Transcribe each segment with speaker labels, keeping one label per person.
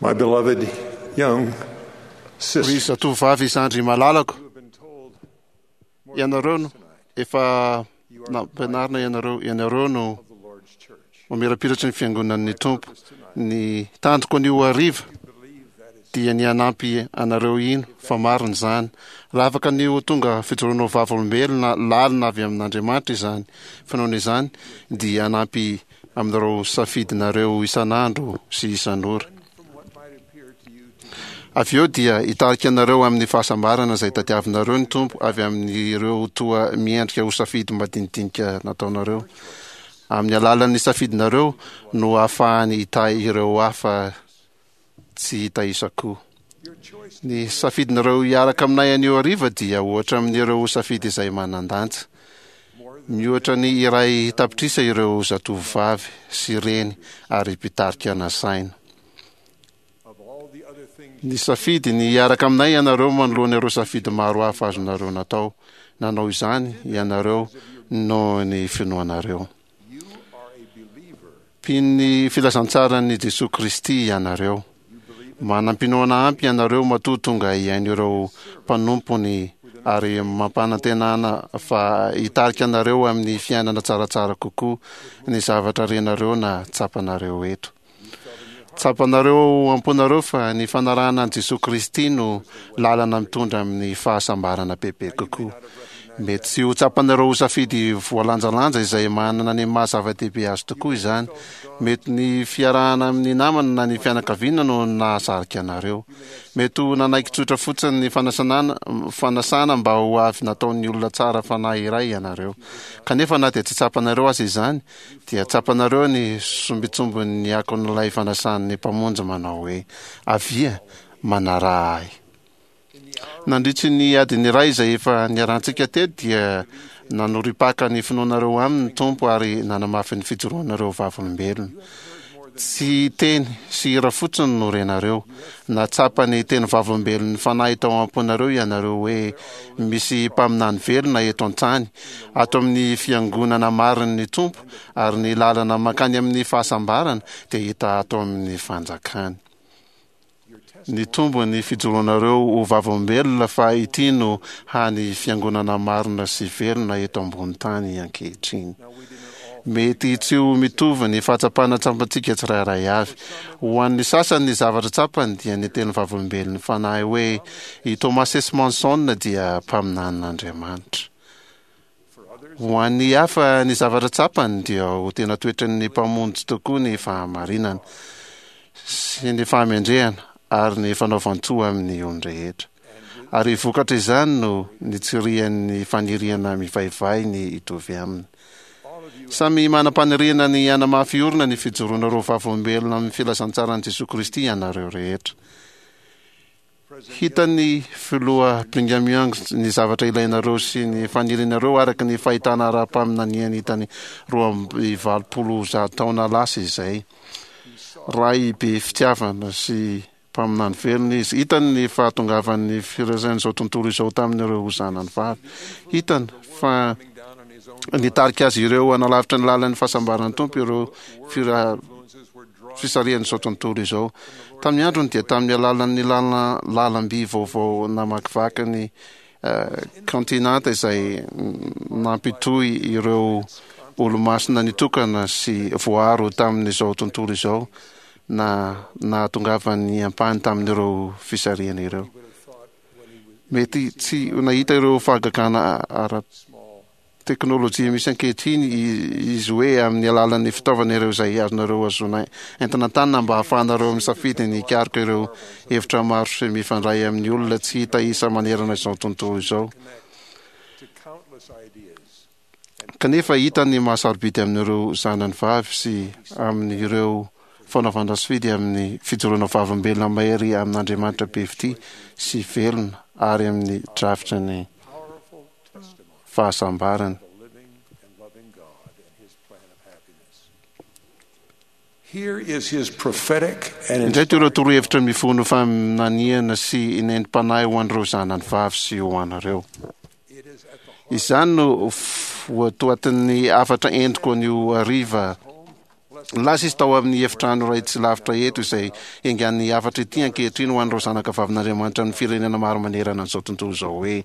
Speaker 1: My beloved young
Speaker 2: Ry
Speaker 1: sister,
Speaker 2: zatovovavy zandry malalako, ianareo no efa nampianarina ianareo, ianareo no
Speaker 1: of the Lord's church.
Speaker 2: mamirapiratry ny fiangonan'ny Tompo. Ny tanjoko anio hariva dia ny hanampy anareo hino fa marina izany. Raha afaka ny ho tonga fijoroana ho vavolombelona lalina avy amin'Andriamanitra izany finoana izany, dia hanampy amin'ireo safidinareo isan'andro sy isan'ora.
Speaker 1: From what might appear to you to be
Speaker 2: Avy eo dia hitarika anareo amin'ny fahasambarana izay tadiavinareo ny Tompo avy amin'ireo toa miendrika ho safidy madinidinika nataonareo. Amin'ny alalan'ny safidinareo no ahafahany hitahy ireo hafa tsy hita isa koa.
Speaker 1: your choice
Speaker 2: Ny safidinareo hiaraka aminay anio hariva dia ohatra amin'ireo safidy izay manan-danja.
Speaker 1: more than
Speaker 2: Mihoatra ny iray tapitrisa ireo zatovovavy sy reny ary mpitarika nasaina.
Speaker 1: of all the other things
Speaker 2: Ny safidy ny hiaraka aminay ianareo manoloana ireo safidy maro hafa azonareo natao. Nanao izany ianareo noho ny finoanareo.
Speaker 1: you are a believer.
Speaker 2: Mpino ny filazantsaran'i Jesoa Kristy ianareo.
Speaker 1: You believe in
Speaker 2: Manam-pinoana ampy ianareo matoa tonga hihaino ireo mpanompony ary mampanantenana fa hitarika anareo amin'ny fiainana tsaratsara kokoa ny zavatra renareo na tsapanareo eto. Tsapanareo am-ponareo fa ny fanarahana an'i Jesoa Kristy no lalana mitondra amin'ny fahasambarana bebe kokoa. Mety tsy ho tsapanareo ho safidy voalanjalanja izay manana ny maha zava-dehibe azy tokoa izany. Mety ny fiarahana amin'ny namana na ny fianakaviana no nahasarika anareo. Mety ho nanaiky tsotra fotsiny ny fanasanana, fanasana mba ho avy nataon'ny olona tsara fanahy iray ianareo. Kanefa na dia tsy tsapanareo aza izany, dia tsapanareo ny sombintsombin'ny akon'ilay fanasan'ny Mpamonjy manao hoe, Avia, manaraha ahy. Nandritry ny adiny iray izay efa niarahantsika teto dia nanoripaka ny finoanareo aminy ny Tompo ary nanamafy ny fijoroanareo vavolombelona. Tsy teny sy hira fotsiny no renareo. Nahatsapa ny teny vavolombelon'ny Fanahy tao am-ponareo ianareo hoe misy mpaminany velona eto an-tany, ato amin'ny fiangonana marin'ny Tompo, ary ny lalana mankany amin'ny fahasambarana dia hita ato amin'ny fanjakany. Nitombo ny fijoroanareo ho vavolombelona fa ity no hany fiangonana marina sy velona eto ambony tany ankehitriny. Mety tsy ho mitovy ny fahatsapana tsapantsika tsirairay avy. Ho an'ny sasany ny zavatra tsapany dia ny teny vavolombelon'ny Fanahy hoe i Thomas S. Monson dia mpaminanin'Andriamanitra. Ho an'ny hafa ny zavatra tsapany dia ho tena toetran'ny Mpamonjy tokoa ny fahamarinana sy ny fahamendrehana ary ny fanaovan-tsoa amin'ny olon-drehetra. Ary vokatra izany no nitsirian'ny faniriana mivaivay ny hitovy aminy. Samy manam-paniriana ny hanamafy orina ny fijoroanareo vavolombelona amin'ny filazantsaran'i Jesoa Kristy ianareo rehetra. Hitan'ny Filoha Brigham Young ny zavatra ilainareo sy ny fanirianareo araka ny fahitana ara-paminaniany hitany 182 taona lasa izay. Ray be fitiavana sy mpaminany velona izy. Hitany ny fahatongavan'ny firaisan'izao tontolo izao tamin'ireo zanany vavy. Hitany fa nitarika azy ireo hanalavitra ny lalan'ny fahasambaran'ny Tompo ireo fira fisarihan'izao tontolo izao. Tamin'ny androny dia tamin'ny alalan'ny lalam-by vaovao namakivaky ny kaontinanta izay nampitohy ireo olomasina nitokana sy voaaro tamin'izao tontolo izao na nahatongavan'ny ampahany tamin'ireo fisarihana ireo. Mety tsy ho nahita ireo fahagagana ara teknolojia misy ankehitriny izy hoe amin'ny alalan'ny fitaovana ireo izay azonareo azona entina an-tanana mba hahafahanareo misafidy ny hikaroka ireo hevitra maro sy mifandray amin'ny olona tsy hita isa manerana izao tontolo izao. Kanefa hita ny maha-sarobidy amin'ireo zanany vavy sy amin'ireo fanaovana safidy amin'ny fijoroana vavolombelona mahery amin'Andriamanitra be fitia sy velona ary amin'ny drafitry ny fahasambarana. Indreto ireo torohevitra mifono faminaniana sy nentim-panahy ho an'ireo zanany vavy sy ho anareo. Izany no votoatin'ny hafatra entiko anio hariva. Lasa izy tao amin'ny efitrano iray tsy lavitra eto izay engan'ny hafatra ity ankehitriny ho an'ireo zanaka vavin'Andriamanitra amin'ny firenena maro manerana an'izao tontolo izao hoe,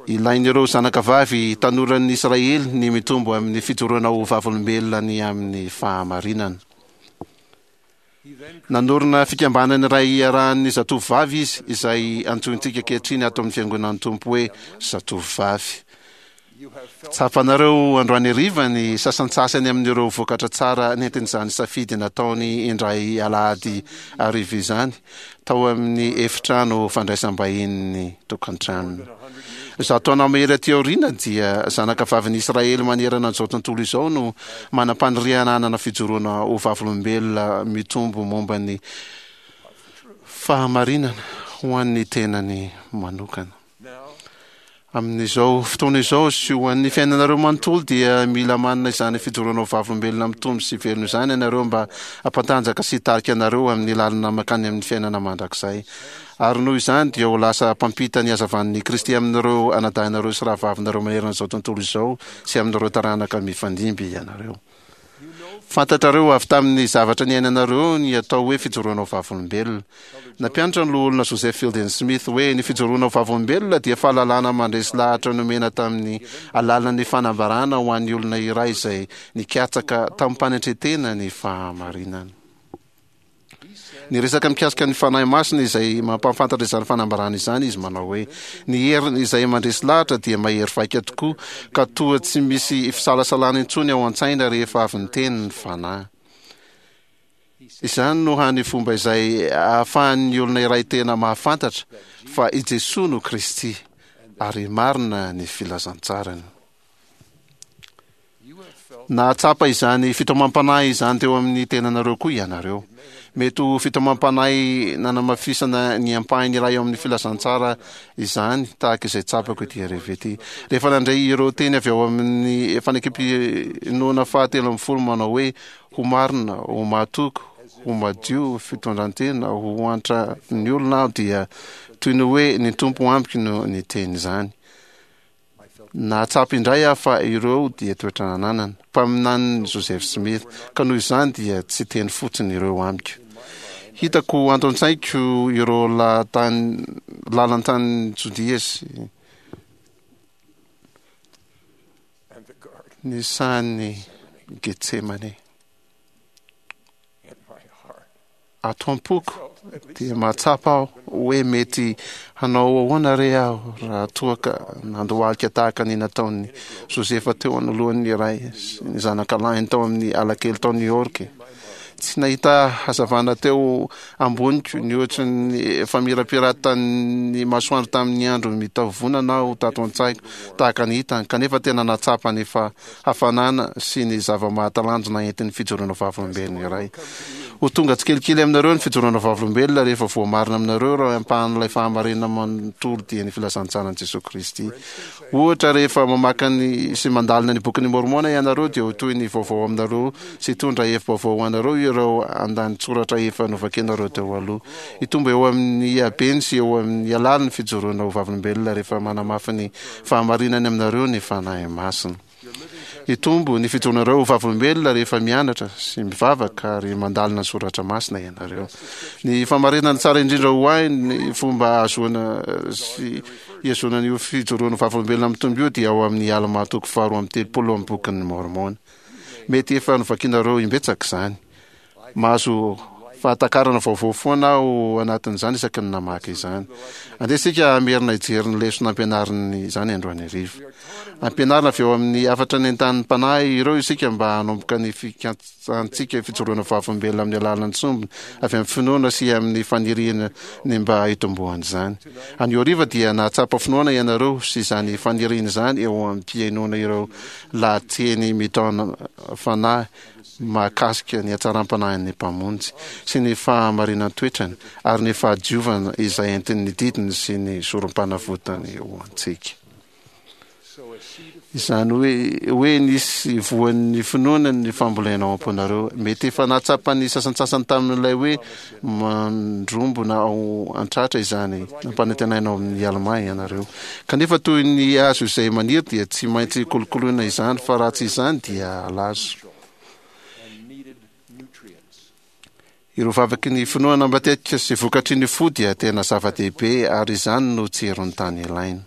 Speaker 2: Ilain'ireo zanaka vavy tanoran'ny Israely ny mitombo amin'ny fijoroana ho vavolombelona ny amin'ny fahamarinana. Nanorina fikambanana iray iarahan'ny zatovovavy izy, izay antsointsika ankehitriny ato amin'ny Fiangonan'ny Tompo hoe Zatovovavy. Tsapanareo androany hariva ny sasantsasany amin'ireo vokatra tsara nentin'izany safidy nataony indray alahady hariva izany tao amin'ny efitrano fandraisam-bahinin'ny tokantranony. 100 taona mahery aty aoriana dia zanaka vavin'i Israely manerana an'izao tontolo izao no manam-paniriana hanana fijoroana ho vavolombelona mitombo momba ny fahamarinana ho an'ny tenany manokana. Amin'izao fotoana izao sy ho an'ny fiainanareo manontolo dia mila manana izany fijoroana ho vavolombelona mitombo sy velona izany ianareo mba hampantanjaka sy hitarika anareo amin'ny lalana mankany amin'ny fiainana mandrakizay. Ary noho izany dia ho lasa mpampita ny hazavan'i Kristy amin'ireo anadahinareo sy rahavavinareo manerana izao tontolo izao sy amin'ireo taranaka mifandimby ianareo. Fantatrareo avy tamin'ny zavatra niainanareo ny atao hoe fijoroana ho vavolombelona. Nampianatra ny Loholona Joseph Fielding Smith hoe ny fijoroana ho vavolombelona dia fahalalana mandresy lahatra nomena tamin'ny alalan'ny fanambarana ho an'ny olona iray izay nikatsaka tamim-panetren-tena ny fahamarinana. Niresaka mikasika ny Fanahy Masina izay mampahafantatra izany fanambarana izany izy manao hoe, Ny heriny izay mandresy lahatra dia mahery vaika tokoa ka toa tsy misy fisalasalana intsony ao an-tsaina rehefa avy niteny ny Fanahy. Izany no hany fomba izay ahafahan'ny olona iray tena mahafantatra fa i Jesoa no Kristy ary marina ny filazantsarany. Nahatsapa izany fitaomam-panahy izany teo amin'ny tenanareo koa ianareo. Mety ho fitaomam-panahy nanamafisana ny ampahany iray ao amin'ny filazantsara izany, tahaka izay tsapako ity hariva ity. Rehefa nandre ireo teny avy ao amin'ny fanekem-pinoana faha-13 manao hoe, Ho marina, ho mahatoky, ho madio fitondran-tena, ho antra ny olona aho, dia toy ny hoe ny Tompo amiko no niteny izany. Nahatsapa indray aho fa ireo dia toetra nananana, mpaminanin'i Joseph Smith, ka noho izany dia tsy teny fotsiny ireo amiko. Hitako anto an-tsaiko ireo lahatany, lalan-tanin'i Jodia sy ny sahan'i Getsemane. Ato am-poko dia mahatsapa aho hoe mety hanao ahoana re aho raha toa ka nandohalika tahaka ny nataon'i Josefa teo anoloan'ny ray sy ny zanakalahiny tao amin'ny alakely tao New York. Tsy nahita hazavana teo amboniko nihoatry ny famirapiratan'ny masoandro tamin'ny andro mitavonana aho tato an-tsaiko tahaka ny hitany, kanefa tena nahatsapa ny hafanana sy ny zava-mahatalanjona entin'ny fijoroana vavolombelona iray. Ho tonga tsikelikely aminareo ny fijoroana vavolombelona rehefa voamarina aminareo ireo ampahan'ilay fahamarinana manontolo dia ny filazantsaran'i Jesoa Kristy. Ohatra, rehefa mamaky ny sy mandalina ny Bokin'i Môrmôna ianareo dia ho toy ny vaovao aminareo sy hitondra hevi-baovao ho anareo ireo andanin-tsoratra efa novakianareo teo aloha. Hitombo eo amin'ny habeny sy eo amin'ny halaliny ny fijoroana ho vavolombelona rehefa manamafy ny fahamarinany aminareo ny Fanahy Masina. Hitombo ny fijoroanareo ho vavolombelona rehefa mianatra sy mivavaka ary mandalina ny soratra masina ianareo. Ny famarinana tsara indrindra ho ahy ny fomba ahazoana sy ihazonana io fijoroana ho vavolombelona mitombo io dia ao amin'ny Almà toko faharoa amby 30 amin'ny Bokin'ny Môrmôna. Mety efa novakinareo imbetsaka izany. Mahazo fahatakarana vaovao foana aho anatin'izany isaky ny namaky izany. Andeha isika hamerina hijery ny lesona ampianariny izany androany hariva. Ampianarina avy eo amin'ny hafatra nentanin'ny Mpanahy ireo isika mba hanomboka ny fikatsahantsika fijoroana vavolombelona amin'ny alalan'ny sombiny avy amin'ny finoana sy amin'ny faniriana ny mba hitomboan'izany. Anio hariva dia nahatsapa finoana ianareo sy izany faniriana izany eo am-pihainoana ireo lahateny mitaona fanahy mahakasika ny hatsaram-panahin'ny Mpamonjy sy ny fahamarinan-toetrany ary ny fahadiovana izay entin'ny didiny sy ny sorom-panavotany ho antsika. Izany hoe hoe nisy voan'ny finoana ny fambolena ao am-ponareo. Mety efa nahatsapa ny sasantsasany tamin'ilay hoe mandrombona ao an-tratra izany nampanantenaina ao amin'ny Almà ianareo. Kanefa toy ny hazo izay maniry dia tsy maintsy kolokoloina izany fa raha tsy izany dia halazo. Ireo vavaky ny finoana matetika sy vokatry ny fo dia tena zava-dehibe ary izany no tsiron'ny tany ilaina.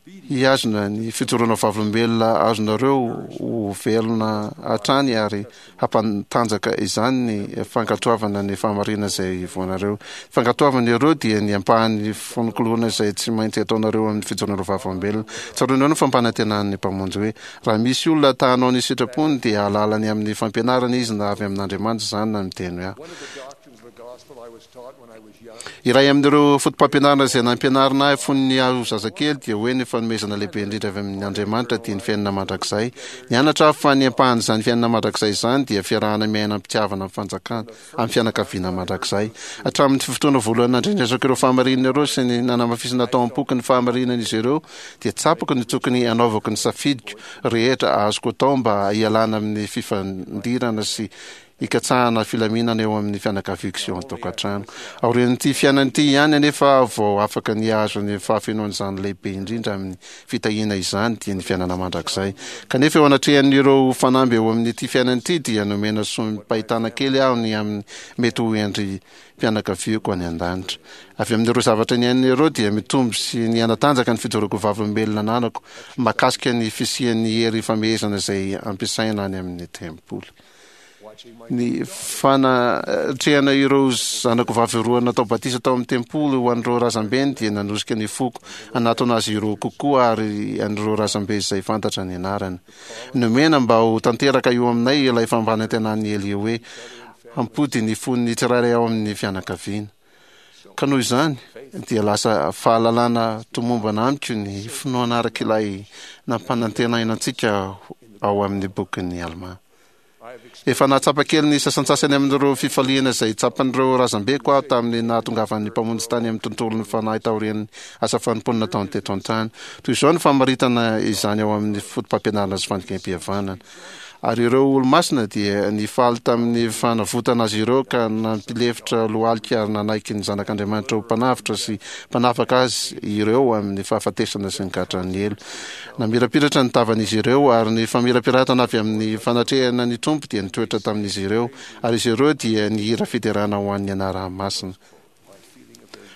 Speaker 2: Hihazona ny fijoroana vavolombelona azonareo ho velona hatrany ary hampantanjaka izany ny fankatoavana ny fahamarinana izay voanareo. Ny fankatoavana ireo dia ny ampahan'ny fononkoloana izay tsy maintsy ataonareo amin'ny fijoroana vavolombelona. Tsaroanareo ny fampanantenan'ny Mpamonjy hoe, Raha misy olona ta hanao ny sitrapony dia hahalala ny amin'ny fampianarana izy na avy amin'Andriamanitra izany na miteny hoe aho. Iray amin'ireo fotopampianarana izay nampianarina ahy fony aho zazakely dia hoe ny fanomezana lehibe indrindra avy amin' Andriamanitra dia ny fiainana mandrakizay. Nianatra aho fa ny ampahan'izany fiainana mandrakizay izany dia fiarahana miaina am-pitiavana amin'ny fanjakana, amin'ny fianakaviana mandrakizay. Hatramin'ny fotoana voalohany nandrenesako ireo fahamarinana ireo sy ny nanamafisana tao am-poko ny fahamarinan'izy ireo dia tsapako ny tokony hanaovako ny safidiko rehetra azoko atao mba hialana amin'ny fifandirana sy hikatsahana filaminana eo amin'ny fianakaviako sy eo an-tokantrano. Aorian'ity fiainana ity ihany anefa aho vao afaka ny hahazo ny fahafenoan'izany lehibe indrindra amin'ny fitahiana izany dia ny fiainana mandrakizay. Kanefa eo anatrehan'ireo fanamby eo amin'ity fiainana ity dia nomena soim-pahitana kely aho ny amin'ny mety ho endri-pianakaviako any an-danitra. Avy amin'ireo zavatra niainana ireo dia mitombo sy nihanatanjaka ny fijoroako vavolombelona ananako mahakasika ny fisian'ny hery famehezana izay ampiasaina any amin'ny tempoly. Ny fanatrehana ireo zanako vavy roa natao batisa tao amin'ny tempoly ho an'ireo razambeny dia nanosika ny foko hanatona azy ireo kokoa ary an'ireo razambe izay fantatra ny anarany. Nomena mba ho tanteraka eo aminay ilay fampanantenan'i Elia hoe hampody ny fon'ny tsirairay ao amin'ny fianakaviana. Ka noho izany dia lasa fahalalana tomombana amiko ny finoana araka ilay nampanantenaina antsika ao amin'ny bokin'i Almà. Efa nahatsapa kely ny sasantsasany amin'ireo fifaliana izay tsapan'ireo razambeko aho tamin'ny nahatongavan'ny Mpamonjy tany amin'ny tontolon'ny fanahy taorian'ny asa fanompoana nataony teto an-tany. Toy izao ny famaritana izany ao amin'ny Fotopampianarana sy Fanekempihavanana. Ary ireo Olomasina dia nifaly tamin'ny fanavotana azy ireo ka nampilefitra lohalika ary nanaiky ny Zanak'Andriamanitra ho Mpanavotra sy Mpanafaka azy ireo amin'ny fahafatesana sy ny gadran'ny helo. Namirapiratra ny tavan'izy ireo, ary ny famirapiratana avy amin'ny fanatrehana ny Tompo dia nitoetra tamin'izy ireo, ary izy ireo dia nihira fiderana ho an'ny anarany masina.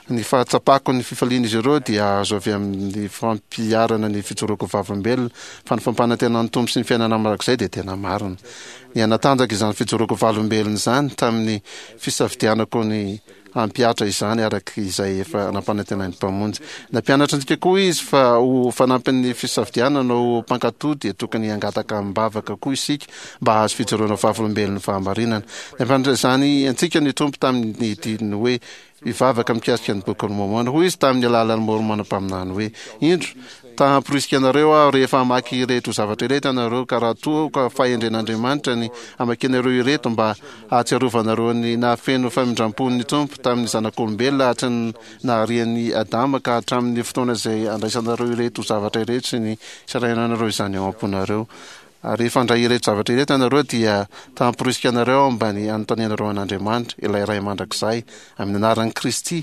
Speaker 2: Ny fahatsapako ny fifalian'izy ireo dia azo avy amin'ny fampiharana ny fijoroako vavolombelona fa ny fampanantenan'ny Tompo sy ny fiainana mandrakizay dia tena marina. Nihanatanjaka izany fijoroako vavolombelona izany tamin'ny fisafidianako ny hampihatra izany araka izay efa nampanantenain'ny Mpamonjy. Nampianatra antsika koa Izy fa ho fanampin'ny fisafidianana ho mpankatò dia tokony hangataka amim-bavaka koa isika mba hahazo fijoroana vavolombelon'ny fahamarinana. Nampianatra izany antsika ny Tompo tamin'ny didiny hoe hivavaka mikasika ny Bokin'i Môrmôna. Hoy Izy tamin'ny alalan'i Môrmôna mpaminany hoe, Indro, Ta hamporisika anareo aho rehefa hamaky ireto zavatra ireto ianareo, ka raha toa ka fahendren'Andriamanitra ny hamakianareo ireto mba hahatsiarovanareo ny nahafeno famindram-pon'ny Tompo tamin'ny zanak'olombelona hatry ny naharian'i Adama ka hatramin'ny fotoana izay handraisanareo ireto zavatra ireto sy ny hisarahinanareo izany ao am-ponareo. Ary rehefa handray ireto zavatra ireto ianareo, dia ta hamporisika anareo aho mba ny hanontanianareo an'Andriamanitra, ilay Ray Mandrakizay, amin'ny anaran'i Kristy,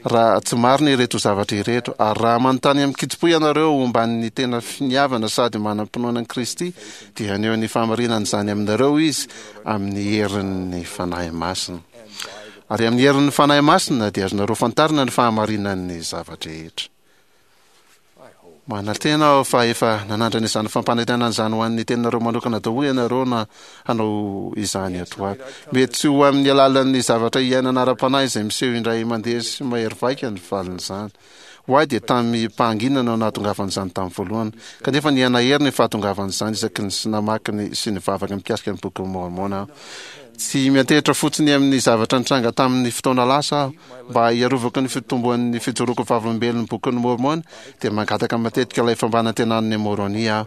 Speaker 2: raha tsy marina ireto zavatra ireto. Ary raha manontany amin-kitsim-po ianareo omban'ny tena finiavana sady manam-pinoana an'i Kristy, dia haneho ny fahamarinan'izany aminareo Izy amin'ny herin'ny Fanahy Masina. Ary amin'ny herin'ny Fanahy Masina dia azonareo fantarina ny fahamarinan'ny zava-drehetra. Manantena aho fa efa nanandrana izany fampanantenana izany ho an'ny teninareo manokana daholo ianareo na hanao izany ato ho ato. Mety tsy ho amin'ny alalan'ny zavatra iainana ara-panahy izay miseho indray mandeha sy mahery vaika ny valin'izany. Ho ahy dia tamim-pahanginana no nahatongavan'izany tamin'ny voalohany. Kanefa nihanahery ny fahatongavan'izany isaky ny namaky ny sy nivavaka mikasika ny Bokin'i Môrmôna aho. Tsy miantehitra fotsiny amin'ny zavatra nitranga tamin'ny fotoana lasa aho. Mba hiarovako ny fitomboan'ny fijoroako vavolombelon'ny Bokin'i Môrmôna, dia mangataka matetika ilay fampanantenan'i Môrônia aho.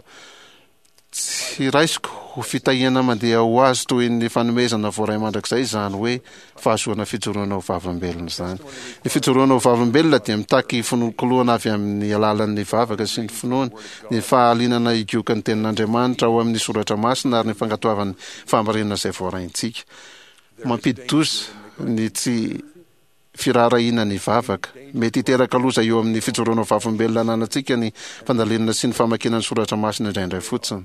Speaker 2: Tsy raisiko ho fitahiana mandeha ho azy toy ny fanomezana voaray mandrakizay izany hoe fahazoana fijoroana ho vavolombelona izany. Ny fijoroana ho vavolombelona dia mitaky finolokoloana avy amin'ny alalan'ny vavaka sy ny finoana, ny fahalianana higoka ny Tenin'Andriamanitra ao amin'ny Soratra Masina ary ny fankatoavana fahamarinana izay voaraintsika. Mampidi-doza ny tsy firaharahiana ny vavaka. Mety hiteraka loza eo amin'ny fijoroana ho vavolombelona ananantsika ny fandalinana sy ny famakiana ny soratra masina indraindray fotsiny.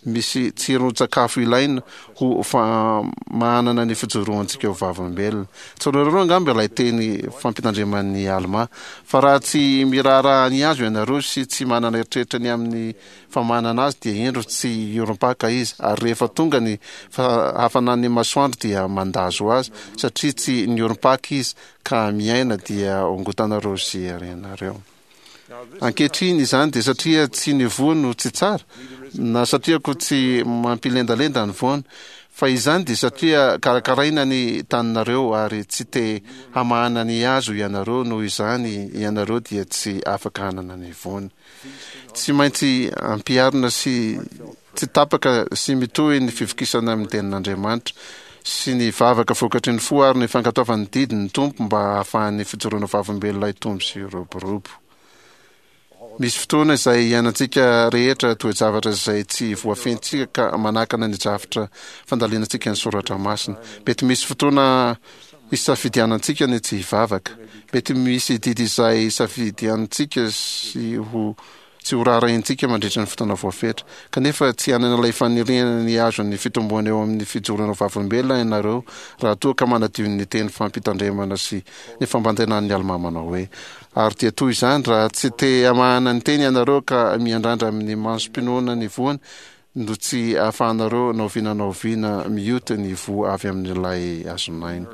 Speaker 2: Misy tsiron-tsakafo ilaina ho famahanana ny fijoroantsika ho vavolombelona. Tsaroanareo angamba ilay teny fampitandreman'i Almà, fa raha tsy miraharaha ny hazo ianareo sy tsy manana eritreritra ny amin'ny famahanana azy, dia indro tsy hiorim-paka izy, ary rehefa tonga ny hafanan'ny masoandro dia mandazo azy, satria tsy niorim-paka izy ka miaina, dia hongotanareo sy arianareo. Ankehitriny izany dia satria tsy ny voa no tsy tsara, na satria koa tsy mampilendalenda ny voany, fa izany dia satria karakaraina ny taninareo ary tsy te hamahana ny hazo ianareo noho izany ianareo dia tsy afaka hanana ny voany. Tsy maintsy ampiharina sy tsy tapaka sy mitohy ny fivokisana amin'ny tenin'Andriamanitra sy ny vavaka vokatry ny fo ary ny fankatoavan'ny didy ny Tompo mba hahafahan'ny fijoroana vavolombelona hitombo sy hiroborobo. Misy fotoana izay iainantsika rehetra toe-javatra izay tsy voafehintsika ka manakana ny drafitra fandalinantsika ny soratra masina. Mety misy fotoana isafidianantsika ny tsy hivavaka. Mety misy didy izay isafidiantsika sy ho tsy ho raharahiantsika mandritra ny fotoana voafetra. Kanefa tsy hanana ilay faniriana ny hahazo ny fitomboana eo amin'ny fijoroana ho vavolombelona ianareo raha toa ka manadio ny teny fampitandremana sy ny fampantenan'ny Almà manao hoe, Ary dia toy izany, raha tsy te hamahana ny teny ianareo ka miandrandra amin'ny masom-pinoana ny voany, no tsy ahafahanareo na oviana na oviana mioty ny voa avy amin'ilay hazon'aina.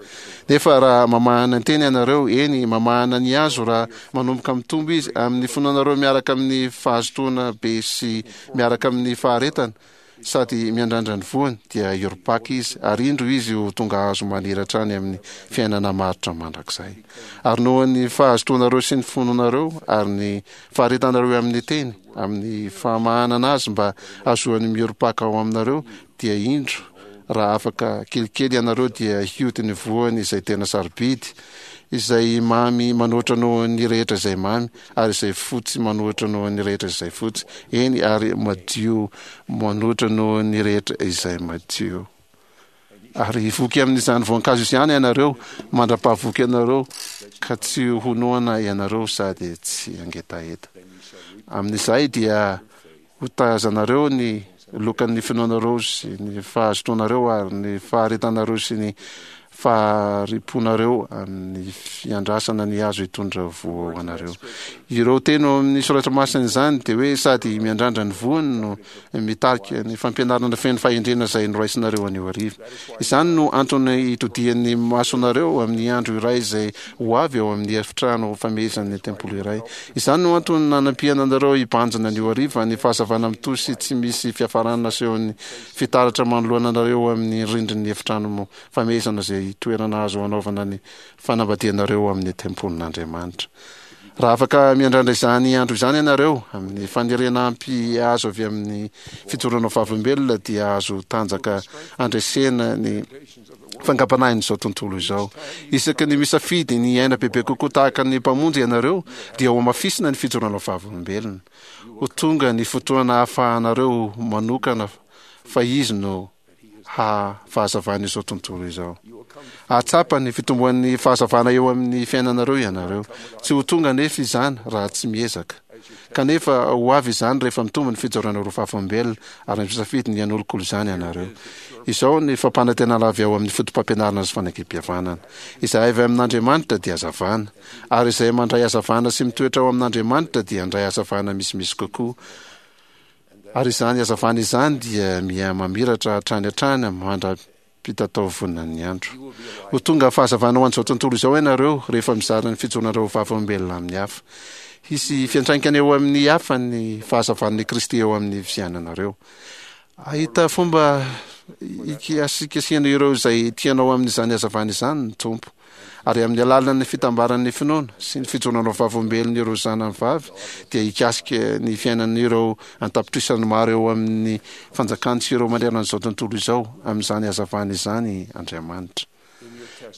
Speaker 2: Nefa raha mamahana ny teny ianareo, eny, mamahana ny hazo raha manomboka mitombo izy, amin'ny finoanareo miaraka amin'ny fahazotoana be sy miaraka amin'ny faharetana, sady miandrandra ny voany, dia hiorim-paka izy, ary indro izy ho tonga hazo maniry hatrany amin'ny fiainana maharitra mandrakizay. Ary noho ny fahazotoanareo sy ny finoanareo ary ny faharetanareo amin'ny teny, amin'ny famahanana azy mba hahazoany miorim-paka ao aminareo, dia indro, raha afaka kelikely ianareo dia hioty ny voany izay tena sarobidy, izay mamy manoatra noho ny rehetra izay mamy, ary izay fotsy manoatra noho ny rehetra izay fotsy, eny, ary madio manoatra noho ny rehetra izay madio. Ary hivoky amin'izany voankazo izany ianareo, mandra-pahavoky anareo, ka tsy ho noana ianareo sady tsy hangetaheta. Amin'izay dia hotazanareo ny lokan'ny finoanareo sy ny fahazotoanareo ary ny faharetanareo sy ny fahari-ponareo amin'ny fiandrasana ny hazo hitondra voa ho anareo. Ireo teny ao amin'ny soratra masina izany dia hoe sady miandrandra ny voany no mitarika ny fampianarana feno fahendrena izay noraisinareo anio hariva. Izany no antony hitodihan'ny masonareo amin'ny andro iray izay ho avy ao amin'ny efitrano famehezan'ny tempoly iray. Izany no antony nanampiana anareo hibanjina anio hariva ny fahazavana mitohy sy tsy misy fiafarana asehon'ny fitaratra manoloana anareo amin'ny rindrin'ny efitrano famehezana izay toerana azo hanaovana ny fanambadianareo amin'ny tempolin'Andriamanitra. Raha afaka miandrandra izany andro izany ianareo, amin'ny faniriana ampy azo avy amin'ny fijoroana ho vavolombelona, dia azo tanjaka handresena ny fangampanahin'izao tontolo izao. Isaky ny misafidy ny hiaina bebe kokoa tahaka ny Mpamonjy ianareo, dia hohamafisina ny fijoroana ho vavolombelona. Ho tonga ny fotoana hahafahanareo manokana fa Izy no ha fahazavan' izao tontolo izao. Hahatsapa ny fitomboan'ny fahazavana eo amin'ny fiainanareo ianareo. Tsy ho tonga anefa izany raha tsy miezaka. Kanefa ho avy izany rehefa mitombo ny fijoranareo vavolombelona ary misafidy ny hanolokolo izany ianareo. Izao ny fampanantenana avy ao amin'ny fotopampianarana sy fanekempihavanana. Izay avy amin'Andriamanitra dia hazavana, ary izay mandray hazavana sy mitoetra ao amin'Andriamanitra dia handray hazavana misimisy kokoa. Ary izany hazavana izany dia miha-mamiratra hatrany hatrany mandra-pitataovonan'ny andro. Ho tonga fahazavana ho an'izao tontolo izao ianareo rehefa mizara ny fijoroanareo ho vavolombelona amin'ny hafa. Hisy fiantraikany eo amin'ny hafa ny fahazavan'i Kristy eo amin'ny fiainanareo. Hahita fomba hikasikasihana ireo izay tianao amin'izany hazavana izany ny Tompo. Ary amin'ny alalan'ny fitambaran'ny finoana sy ny fijoroana ho vavolombelon'ireo zanany vavy dia hikasika ny fiainan'ireo an-tapitrisany maro eo amin'ny fanjakany sy ireo manerana an'izao tontolo izao amin'izany hazavana izany Andriamanitra.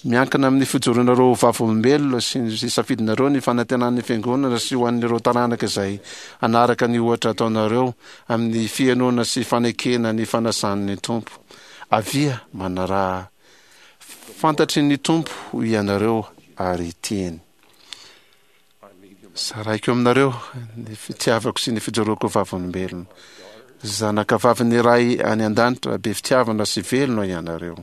Speaker 2: Miankina amin'ny fijoroanareo ho vavolombelona sy ny safidinareo ny fanantenan'ny Fiangonana sy ho an'ireo taranaka izay hanaraka ny ohatra ataonareo amin'ny fihenoana sy fanekena ny fanasan'ny Tompo. Avia, manaraha Fantatry ny Tompo ianareo ary tiany. Zaraiko aminareo ny fitiavako sy ny fijoroako vavolombelona. Zanakavavin'ny Ray any An-danitra be fitiavana sy velona ianareo.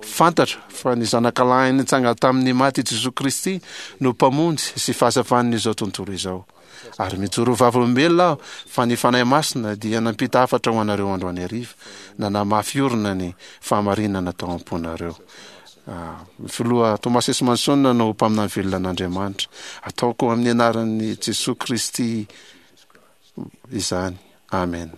Speaker 2: Fantatro fa ny Zanakalahy nitsangana tamin'ny maty Jesoa Kristy no Mpamonjy sy Fahazavan'izao tontolo izao. Ary mijoro ho vavolombelona aho fa ny Fanahy Masina dia nampita hafatra ho anareo androany hariva, nanamafy orina ny fahamarinana tao am-ponareo. Ny Filoha Thomas S. Monson no mpaminany velona an'Andriamanitra. Ataoko amin'ny anaran'i Jesoa Kristy izany. Amen.